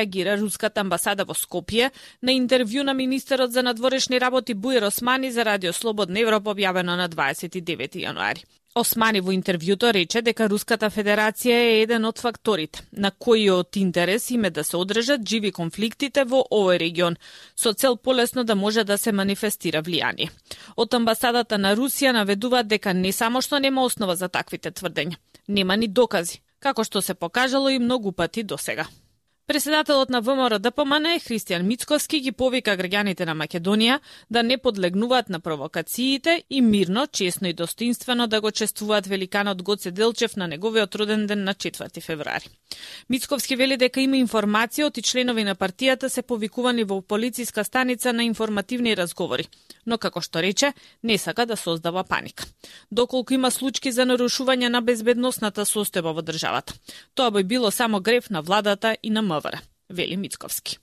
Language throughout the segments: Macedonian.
Реагира руската амбасада во Скопје на интервју на министерот за надворешни работи Буир Османи за Радио Слободна Европа објавено на 29 јануари. Османи во интервјуто рече дека Руската Федерација е еден од факторите на кои од интерес им е да се одржат живи конфликтите во овој регион, со цел полесно да може да се манифестира влијание. Од амбасадата на Русија наведуваат дека не само што нема основа за таквите тврдења, нема ни докази, како што се покажало и многу пати досега. Преседателот на ВМРО ДПМН Христијан Мицковски ги повика граѓаните на Македонија да не подлегнуваат на провокациите и мирно, честно и достоинствено да го чествуваат великанот Гоце Делчев на неговиот роден ден на 4 февруари. Мицковски вели дека има информација од членови на партијата се повикувани во полициска станица на информативни разговори, но како што рече, не сака да создава паника. Доколку има случаи за нарушување на безбедносната состојба во државата, тоа би било само грев на владата и на МВР, вели Мицковски.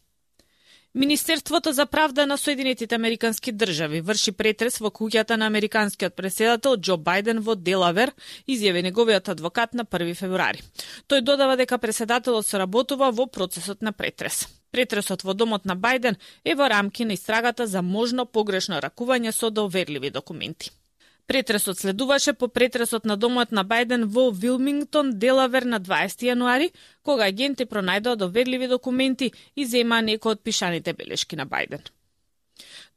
Министерството за правда на Соединетите Американски држави врши претрес во куќата на американскиот претседател Џо Бајден во Делавер, изјави неговиот адвокат на 1 февруари. Тој додава дека претседателот соработува во процесот на претрес. Претресот во домот на Бајден е во рамки на истрагата за можно погрешно ракување со доверливи документи. Претресот следуваше по претресот на домот на Бајден во Вилмингтон, Делавер на 20 јануари, кога агенти пронајдоа доверливи документи и земаа некои од пишаните белешки на Бајден.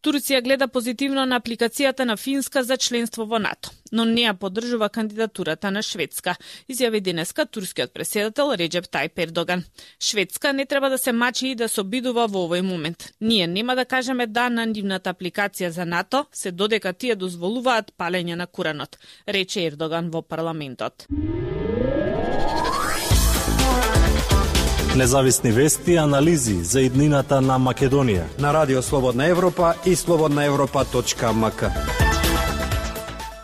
Турција гледа позитивно на апликацијата на Финска за членство во НАТО, но не ја поддржува кандидатурата на Шведска, изјави денеска турскиот претседател Реџеп Тајип Ердоган. Шведска не треба да се мачи и да се обидува во овој момент. Ние нема да кажеме да на нивната апликација за НАТО, се додека тие дозволуваат палење на Куранот, рече Ердоган во парламентот. Независни вести и анализи за иднината на Македонија на Радио Слободна Европа и slobodnaevropa.mk.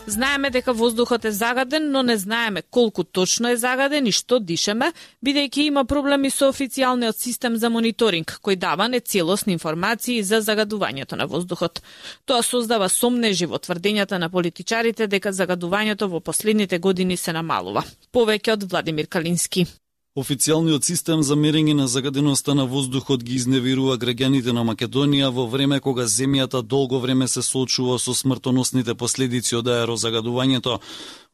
Знаеме дека воздухот е загаден, но не знаеме колку точно е загаден и што дишеме, бидејќи има проблеми со официјалниот систем за мониторинг, кој дава нецелосни информации за загадувањето на воздухот. Тоа создава сомнежи во тврдењата на политичарите дека загадувањето во последните години се намалува. Повеќе од Владимир Калински. Официјалниот систем за мерење на загаденоста на воздухот ги изневерува граѓаните на Македонија во време кога земјата долго време се соочува со смртоносните последици од аерозагадувањето.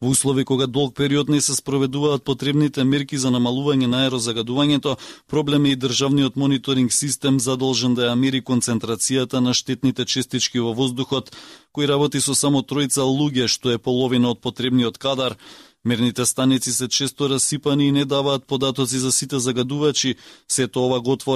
Во услови кога долг период не се спроведуваат потребните мерки за намалување на аерозагадувањето, проблем е и државниот мониторинг систем задолжен да ја мери концентрацијата на штетните честички во воздухот, кој работи со само 3 луѓе, што е половина од потребниот кадар. Мерните станици се често расипани и не даваат податоци за сите загадувачи, сето ова го отвора